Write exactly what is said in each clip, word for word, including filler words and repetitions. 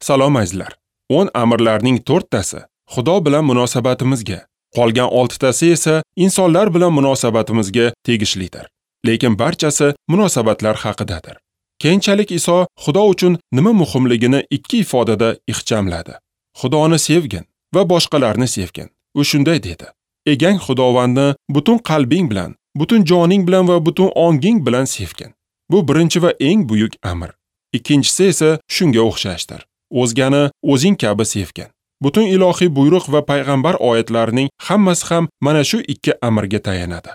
Salom azizlar. O'n amrlarning to'rttasi Xudo bilan munosabatimizga, qolgan oltitasi esa insonlar bilan munosabatimizga tegishlidir. Lekin barchasi munosabatlar haqidadir. Keyinchalik Iso Xudo uchun nima muhimligini ikki ifodada ixchamladi. Xudoni sevgin va boshqalarni sevgin. U shunday dedi: Egang Xudovandni butun qalbing bilan, butun joning bilan va butun onging bilan sevgin. Bu birinchi va eng buyuk amr. Ikkinchisi esa shunga o'xshashdir. O'zgani o'zing kabi sevgin. Butun ilohiy buyruq va payg'ambar oyatlarining hammasi ham mana shu ikki amrga tayanadi.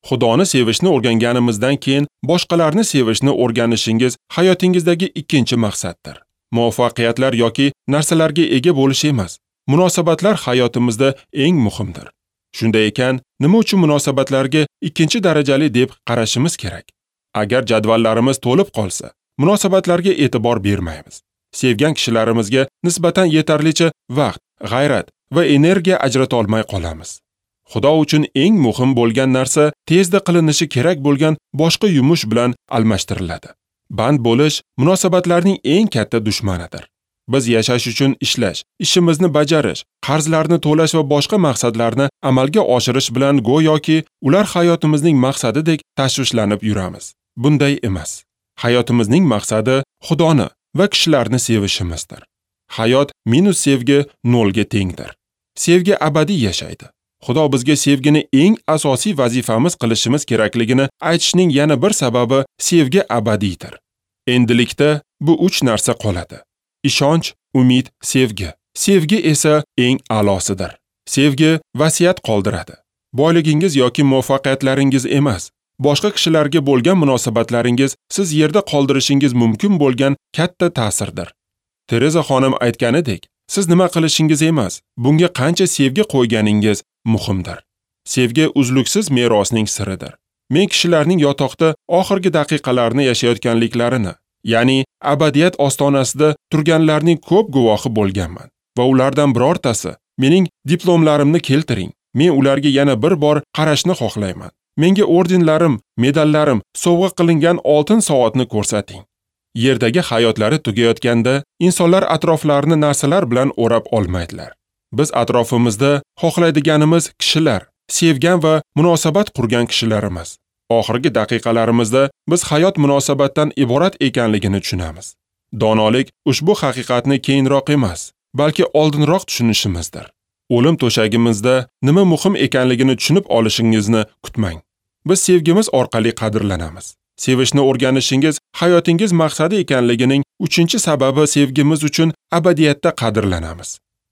Xudoni sevishni o'rganganimizdan keyin boshqalarni sevishni o'rganishingiz hayotingizdagi ikkinchi maqsaddir. Muvaffaqiyatlar yoki narsalarga ega bo'lish emas, munosabatlar hayotimizda eng muhimdir. Shunday ekan, nima uchun munosabatlarga ikkinchi darajali deb qarashimiz kerak? Agar jadvallarimiz to'lib qolsa, munosabatlarga e'tibor bermaymiz. Sevgan kishilarimizga nisbatan yetarlicha vaqt, g'ayrat va energiya ajrata olmay qolamiz. Xudo uchun eng muhim bo'lgan narsa tezda qilinishi kerak bo'lgan boshqa yumush bilan almashtiriladi. Band bo'lish munosabatlarning eng katta dushmanidir. Biz yashash uchun ishlash, ishimizni bajarish, qarzlarni to'lash va boshqa maqsadlarni amalga oshirish bilan go'yoki ular hayotimizning maqsadidek tashvishlanib yuramiz. Bunday emas. Hayotimizning maqsadi Xudoni va kishilarni sevishimizdir. Hayot minus sevgi nolga tengdir. Sevgi abadiy yashaydi. Xudo bizga sevgini eng asosiy vazifamiz qilishimiz kerakligini aytishning yana bir sababi sevgi abadiydir. Endilikda bu uch narsa qoladi. Ishonch, umid, sevgi. Sevgi esa eng a'losidir. Sevgi vasiyat qoldiradi. Boyligingiz yoki muvaffaqiyatlaringiz emas, boshqa kishilarga bo'lgan munosabatlaringiz siz yerda qoldirishingiz mumkin bo'lgan katta ta'sirdir. Tereza xonim aytganidek, siz nima qilishingiz emas, bunga qancha sevgi qo'yganingiz muhimdir. Sevgi uzluksiz merosning siridir. Men kishilarning yotoqda oxirgi daqiqalarini yashayotganliklarini, ya'ni abadiyat ostonasida turganlarning ko'p guvohi bo'lganman va ulardan birortasi mening diplomlarimni keltiring, men ularga yana bir bor qarashni xohlayman. Menga ordenlarim, medallarim, sovg'a qilingan oltin soatni ko'rsating. Yerdagi hayotlari tugayotganda insonlar atroflarini narsalar bilan o'rab olmaydilar. Biz atrofimizda xohlaydiganimiz kishilar, sevgan va munosabat qurgan kishilarimiz. Oxirgi daqiqalarimizda biz hayot munosabatdan iborat ekanligini tushunamiz. Donolik ushbu haqiqatni keyinroq emas, balki oldinroq tushunishimizdir. O'lim to'shagimizda nima muhim ekanligini tushunib olishingizni kutmang. Biz sevgimiz orqali qadrlanamiz. Sevishni o'rganishingiz hayotingiz maqsadi ekanligining uchinchi sababi sevgimiz uchun abadiyatda qadrlanamiz.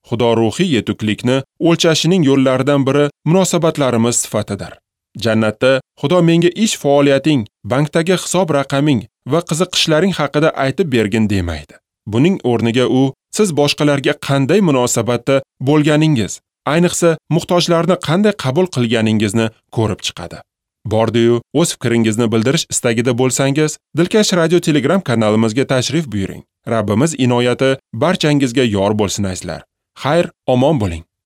Xudo ruhiy yetuklikni o'lchashining yo'llaridan biri munosabatlarimiz sifatidir. Jannatda Xudo menga ish faoliyating, bankdagi hisob raqaming va qiziqishlaring haqida aytib bergin demaydi. Buning o'rniga u siz boshqalarga qanday munosabatda bo'lganingiz, ayniqsa muhtojlarni qanday qabul qilganingizni ko'rib chiqadi. Bordi-yu, o'z fikringizni bildirish istagida bo'lsangiz, Dilkash Radio Telegram kanalimizga tashrif buyuring. Rabbimiz inoyati barchangizga yor bo'lsin azizlar. Xayr, omon bo'ling.